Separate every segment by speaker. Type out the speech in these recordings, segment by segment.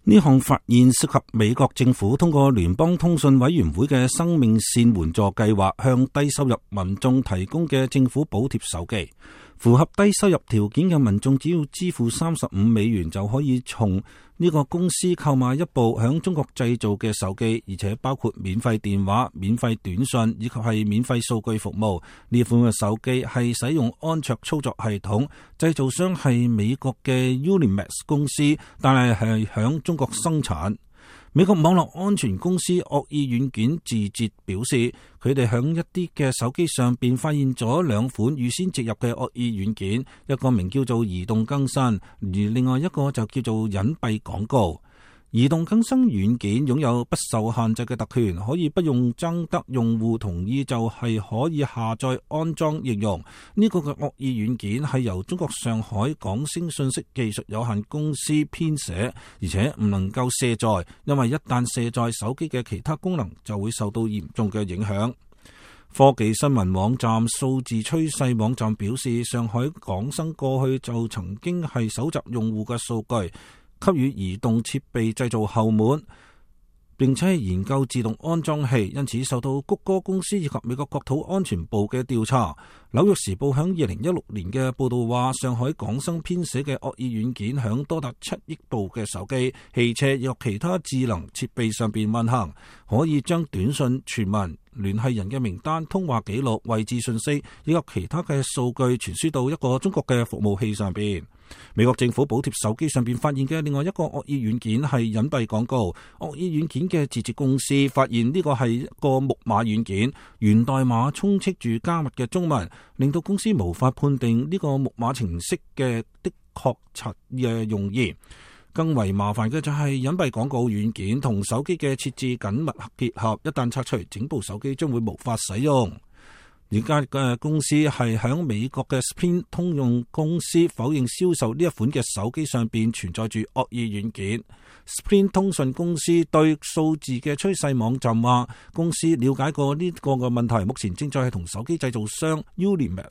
Speaker 1: 呢項發現涉及美國政府通過聯邦通訊委員會嘅生命線援助計劃向低收入民眾提供嘅政府補貼手機。符合低收入條件嘅民眾只要支付$35就可以從呢個公司購買一部響中國製造嘅手機，而且包括免費電話、免費短信以及係免費數據服務。呢款嘅手機係使用安卓操作系統，製造商係美國嘅 Unimax 公司，但係響中國生產。美國網絡安全公司惡意軟件自節表示，佢哋響一啲嘅手機上邊發現咗兩款預先植入嘅惡意軟件，一個名叫做移動更新，而另外一個就叫做隱蔽廣告。移動更新軟件擁有不受限制嘅特權，可以不用徵得用戶同意就係可以下載安裝應用。呢個嘅惡意軟件係由中國上海廣星信息技術有限公司編寫，而且唔能夠卸載，因為一旦卸載，手機嘅其他功能就會受到嚴重嘅影響。科技新聞網站數字趨勢網站表示，上海廣生過去就曾經係搜集用戶嘅數據，給予移動設備製造後門，並且係研究自動安裝器，因此受到谷歌公司以及美國國土安全部嘅調查。紐約時報響2016年嘅報道話，上海廣生編寫嘅惡意軟件響多達7億部嘅手機、汽車以及其他智能設備上邊運行，可以將短信、傳聞、聯繫人嘅名單、通話記錄、位置信息以及其他嘅數據傳輸到一個中國嘅服務器上邊。美國政府補貼手機上邊發現嘅另外一個惡意軟件係隱蔽廣告。惡意軟件嘅自設公司發現呢個係一個木馬軟件，源代碼充斥住加密嘅中文，令到公司無法判定呢個木馬程式嘅確實嘅用意。更為麻煩嘅就係隱蔽廣告軟件同手機嘅設置緊密結合，一旦拆除，整部手機將會無法使用。而家嘅公司係響美國嘅 Sprint 通用公司否認銷售呢一款嘅手機上邊存在住惡意軟件。Sprint 通訊公司對數字嘅趨勢網站話，公司了解過呢個嘅問題，目前正在係同手機製造商 Unimax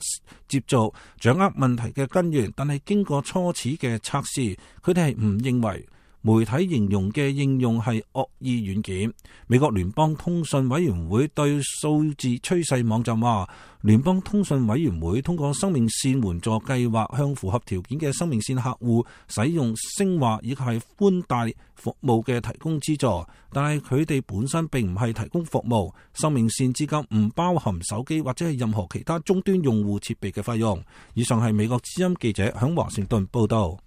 Speaker 1: 接觸，掌握問題嘅根源，但係經過初始嘅測試，佢哋係唔認為媒體形容嘅應用係惡意軟件。美國聯邦通訊委員會對數字趨勢網站話，聯邦通訊委員會通過生命線援助計劃向符合條件嘅生命線客戶使用聲話以及係寬帶服務嘅提供資助，但係佢哋本身並唔係提供服務。生命線資金唔包含手機或者係任何其他終端用戶設備嘅費用。以上係美國之音記者響華盛頓報道。